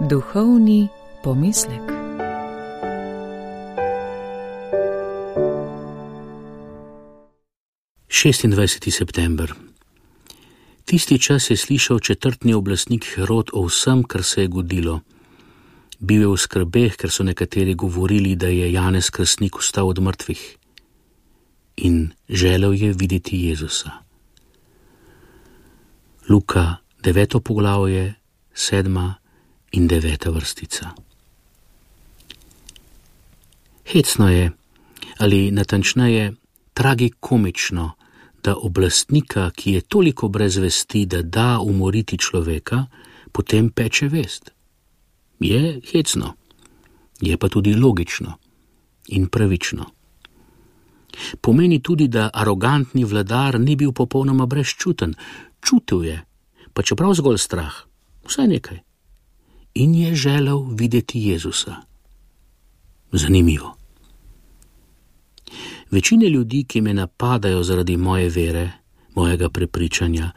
Duhovni pomislek. September. Tisti čas je slišal četrtni oblastnik Herod o vsem, kar se je godilo. Bil je v skrbeh, ker so nekateri govorili, da je Janez Krstnik vstal od mrtvih. In želel je videti Jezusa. Luka 9. poglavje, 7. in 9. vrstica. Hecno je, ali natančneje tragikomično, da oblastnika, ki je toliko brez vesti, da da umoriti človeka, potem peče vest. Je hecno, je pa tudi logično in pravično. Pomeni tudi, da arogantni vladar ni bil popolnoma brezčuten, čutil je, pa čeprav zgolj strah, vsaj nekaj. In je želel videti Jezusa. Zanimivo. Večine ljudi, ki me napadajo zaradi moje vere, mojega prepričanja,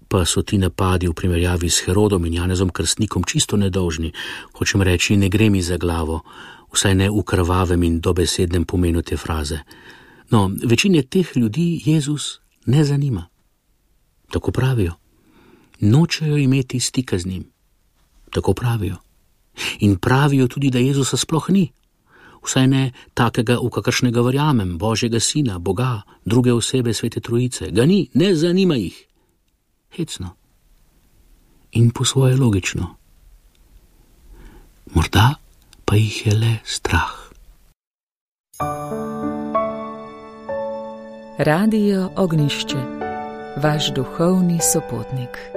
pa so ti napadi v primerjavi s Herodom in Janezom Krstnikom čisto nedolžni. Hočem reči, ne gre mi za glavo, vsaj ne v krvavem in dobesednem pomenu te fraze. No, večine teh ljudi Jezus ne zanima. Tako pravijo. Nočejo imeti stika z njim. Tako pravijo. In pravijo tudi, da Jezusa sploh ni. Vsaj ne takega, v kakršnega verjamem, Božjega Sina, Boga, druge osebe Svete Trojice. Ga ni, ne zanima jih. Hecno. In po svoje logično. Morda pa jih je le strah. Radio Ognjišče, vaš duhovni sopotnik.